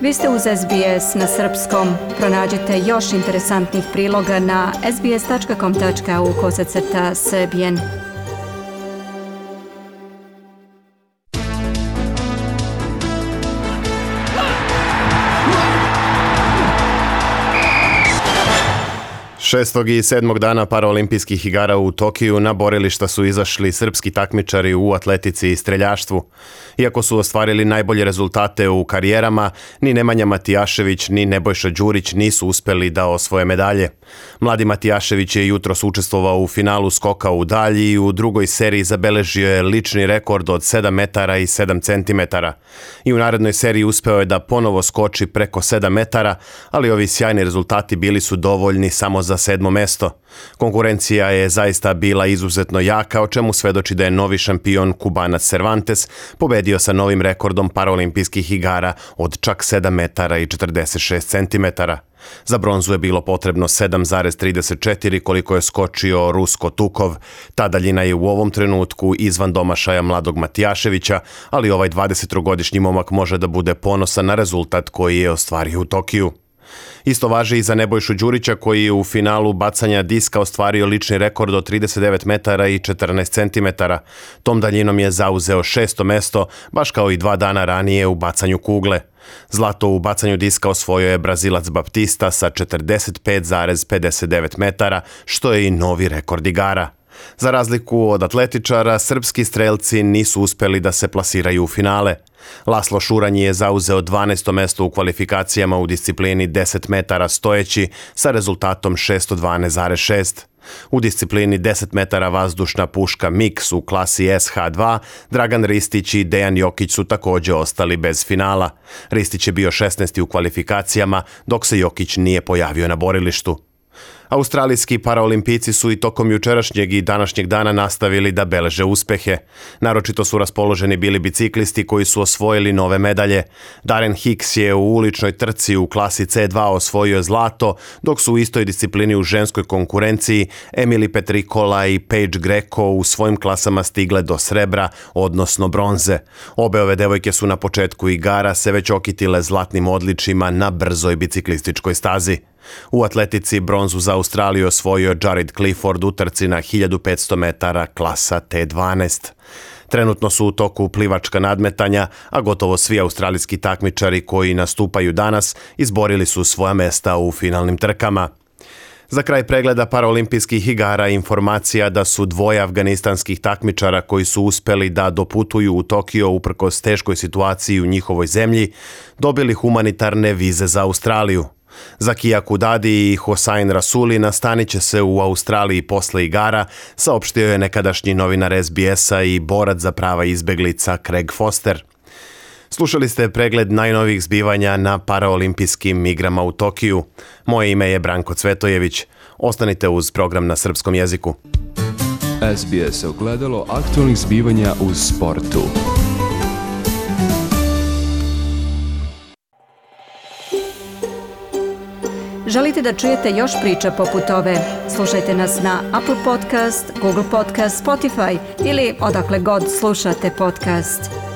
Vi ste uz SBS na srpskom. Pronađite još interesantnih priloga na sbs.com.au/srbijen. Šestog i 7. dana paraolimpijskih igara u Tokiju na borilišta su izašli srpski takmičari u atletici i streljaštvu. Iako su ostvarili najbolje rezultate u karijerama, ni Nemanja Matijašević ni Nebojša Đurić nisu uspeli da osvoje medalje. Mladi Matijašević je jutros učestvovao u finalu skoka u dalji i u drugoj seriji zabeležio je lični rekord od 7 metara i 7 centimetara. I u narednoj seriji uspeo je da ponovo skoči preko 7 metara, ali ovi sjajni rezultati bili su dovoljni samo za 7. mesto. Konkurencija je zaista bila izuzetno jaka, o čemu svedoči da je novi šampion Kubanac Cervantes pobedio sa novim rekordom paraolimpijskih igara od čak 7 metara i 46 centimetara. Za bronzu je bilo potrebno 7,34 koliko je skočio Rusko Tukov. Ta daljina je u ovom trenutku izvan domašaja mladog Matijaševića, ali ovaj 23-godišnji momak može da bude ponosan na rezultat koji je ostvario u Tokiju. Isto važi i za Nebojšu Đurića koji je u finalu bacanja diska ostvario lični rekord od 39 metara i 14 centimetara. Tom daljinom je zauzeo 6. mesto, baš kao i 2 dana ranije u bacanju kugle. Zlato u bacanju diska osvojio je Brazilac Baptista sa 45,59 metara, što je i novi rekord igara. Za razliku od atletičara, srpski strelci nisu uspeli da se plasiraju u finale. Laslo Šuranj je zauzeo 12. mesto u kvalifikacijama u disciplini 10 metara stojeći sa rezultatom 612,6. U disciplini 10 metara vazdušna puška Mix u klasi SH2, Dragan Ristić i Dejan Jokić su također ostali bez finala. Ristić je bio 16. u kvalifikacijama, dok se Jokić nije pojavio na borilištu. Australijski paraolimpijci su i tokom jučerašnjeg i današnjeg dana nastavili da beleže uspehe. Naročito su raspoloženi bili biciklisti koji su osvojili nove medalje. Darren Hicks je u uličnoj trci u klasi C2 osvojio zlato, dok su u istoj disciplini u ženskoj konkurenciji Emily Petrikola i Paige Greco u svojim klasama stigle do srebra, odnosno bronze. Obe ove devojke su na početku igara se već okitile zlatnim odličjima na brzoj biciklističkoj stazi. U atletici bronzu za Australiju osvojio Jared Clifford u trci na 1500 metara klasa T12. Trenutno su u toku plivačka nadmetanja, a gotovo svi australijski takmičari koji nastupaju danas izborili su svoja mesta u finalnim trkama. Za kraj pregleda paraolimpijskih igara informacija da su 2 afganistanskih takmičara koji su uspeli da doputuju u Tokio uprkos teškoj situaciji u njihovoj zemlji dobili humanitarne vize za Australiju. Zakija Kudadi i Hosain Rasuli nastanit će se u Australiji posle igara, saopštio je nekadašnji novinar SBS-a i borac za prava izbeglica Craig Foster. Slušali ste pregled najnovijih zbivanja na paraolimpijskim igrama u Tokiju. Moje ime je Branko Cvetojević. Ostanite uz program na srpskom jeziku. SBS ogledalo aktualnih zbivanja u sportu. Želite da čujete još priča poput ove? Slušajte nas na Apple Podcast, Google Podcast, Spotify ili odakle god slušate podcast.